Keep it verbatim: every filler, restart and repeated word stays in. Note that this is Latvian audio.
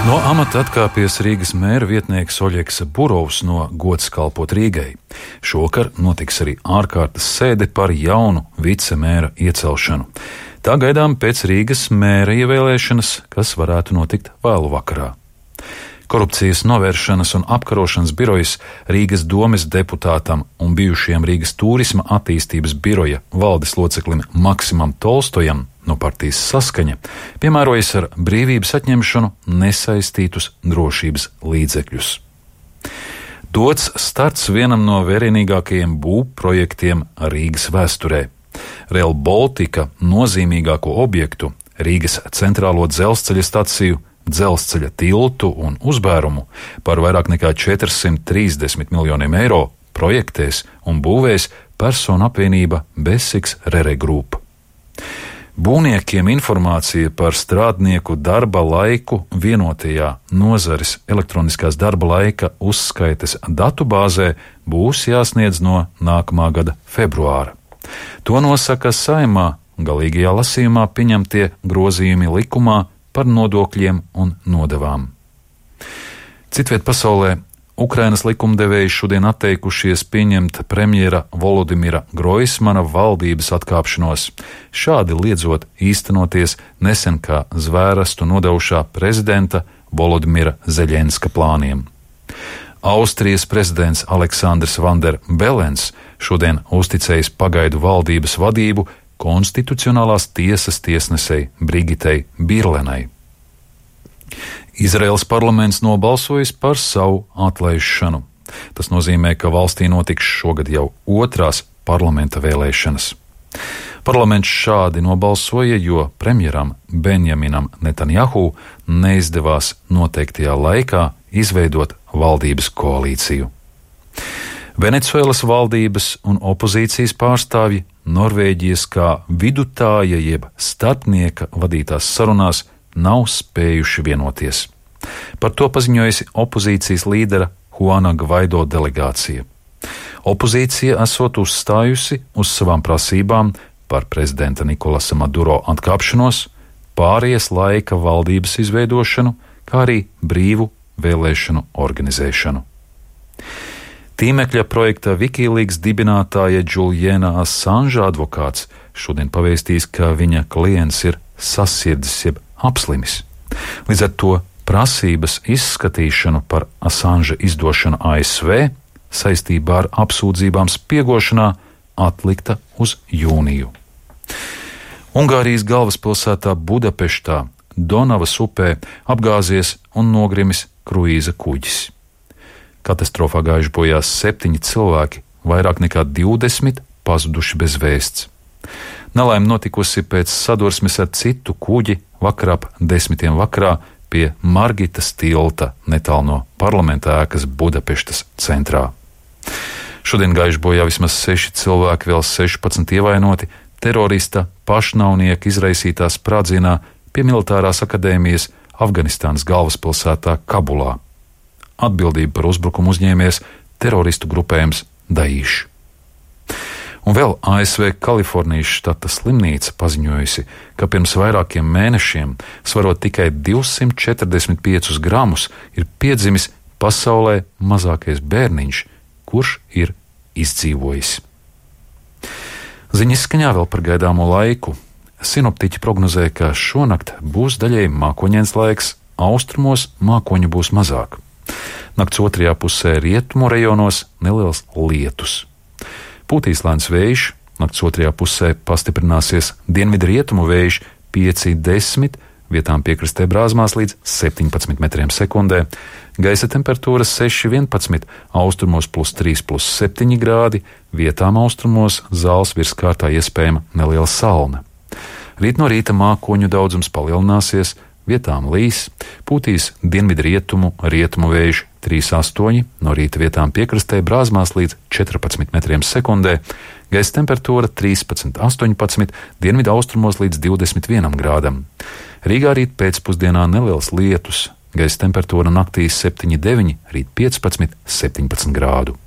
No amata atkāpies Rīgas mēra vietnieks Oļegs Burovs no gods kalpot Rīgai. Šovakar notiks arī ārkārtas sēde par jaunu vicemēra iecelšanu. Tā gaidām pēc Rīgas mēra ievēlēšanas, kas varētu notikt vēlu vakarā. Korupcijas novēršanas un apkarošanas birojas Rīgas domes deputātam un bijušajam Rīgas turisma attīstības biroja valdes loceklim Maksimam Tolstojam no partijas Saskaņa piemērojas ar brīvības atņemšanu nesaistītus drošības līdzekļus. Dots starts vienam no vērienīgākajiem būvprojektiem Rīgas vēsturē. Rail Baltica nozīmīgāko objektu, Rīgas centrālo dzelzceļa staciju, dzelzceļa tiltu un uzbērumu par vairāk nekā četrsimt trīsdesmit miljoniem eiro projektēs un būvēs personu apvienība Besiks Rere Group. Būvniekiem informācija par strādnieku darba laiku vienotajā nozares elektroniskās darba laika uzskaites datubāzē būs jāsniedz no nākamā gada februāra. To nosaka Saeimā galīgajā lasījumā pieņemtie grozījumi likumā par nodokļiem un nodevām. Citviet pasaulē Ukrainas likumdevēji šodien atteikušies pieņemt premjera Volodimira Groismana valdības atkāpšanos, šādi liedzot īstenoties nesen kā zvērestu nodevušā prezidenta Volodimira Zeļenska plāniem. Austrijas prezidents Aleksandrs Van der Belens šodien uzticējis pagaidu valdības vadību Konstitucionālās tiesas tiesnesei Brigitei Birlenai. Izraēlas parlaments nobalsojis par savu atlaišanu. Tas nozīmē, ka valstī notiks šogad jau otrās parlamenta vēlēšanas. Parlaments šādi nobalsoja, jo premjeram Benjaminam Netanjahu neizdevās noteiktajā laikā izveidot valdības koalīciju. Venecuēlas valdības un opozīcijas pārstāvji Norvēģijas kā vidutāja jeb starpnieka vadītās sarunās nav spējuši vienoties. Par to paziņojusi opozīcijas līdera Juana Gvaido delegācija. Opozīcija esot uzstājusi uz savām prasībām par prezidenta Nikolasa Maduro atkāpšanos, pārējas laika valdības izveidošanu, kā arī brīvu vēlēšanu organizēšanu. Tīmekļa projekta Wikileaks dibinātāja Juliana Assange advokāts šodien pavēstīs, ka viņa klients ir sasirdis jeb apslimis. Līdz ar to prasības izskatīšanu par Assange izdošanu A S V saistībā ar apsūdzībām spiegošanā atlikta uz jūniju. Ungārijas galvaspilsētā Budapeštā Donavas upē apgāzies un nogrimis kruīza kuģis. Katastrofā gājuši bojā septiņi cilvēki, vairāk nekā divdesmit pazuduši bez vēsts. Nelaime notikusi pēc sadursmes ar citu kuģi vakarā ap desmitiem vakarā pie Margitas tilta netālu no parlamenta ēkas Budapeštas centrā. Šodien gājuši bojā vismaz seši cilvēki, vēl sešpadsmit ievainoti terorista pašnāvnieka izraisītā sprādzienā pie militārās akadēmijas Afganistānas galvaspilsētā Kabulā. Atbildību par uzbrukumu uzņēmies teroristu grupējums Daesh. Un vēl A S V Kalifornijas štata slimnīca paziņojusi, ka pirms vairākiem mēnešiem, svarot tikai divsimt četrdesmit piecus gramus, ir piedzimis pasaulē mazākais bērniņš, kurš ir izdzīvojis. Ziņas skaņā vēl par gaidāmo laiku. Sinoptiķi prognozē, ka šonakt būs daļēji mākoņains laiks, austrumos mākoņu būs mazāk. Nakts otrajā pusē rietumu rajonos neliels lietus. Pūtīs lēns vējš, nakts otrajā pusē pastiprināsies dienvidu rietumu vējš pieci desmit, vietām piekrastē brāzmās līdz septiņpadsmit metriem sekundē, gaisa temperatūras seši vienpadsmit, austrumos plus trīs plus septiņi grādi, vietām austrumos zāles virskārtā iespējama neliela salna. Rīt no rīta mākoņu daudzums palielināsies, vietām līs, pūtīs dienvidu rietumu, rietumu vējš trīs astoņi, no rīta vietām piekrastē brāzmās līdz četrpadsmit metriem sekundē, gaisa temperatūra trīspadsmit astoņpadsmit, dienvidu austrumos līdz divdesmit vienam grādam. Rīgā rīt pēcpusdienā neliels lietus, gaisa temperatūra naktī septiņi deviņi, rīt piecpadsmit septiņpadsmit grādu.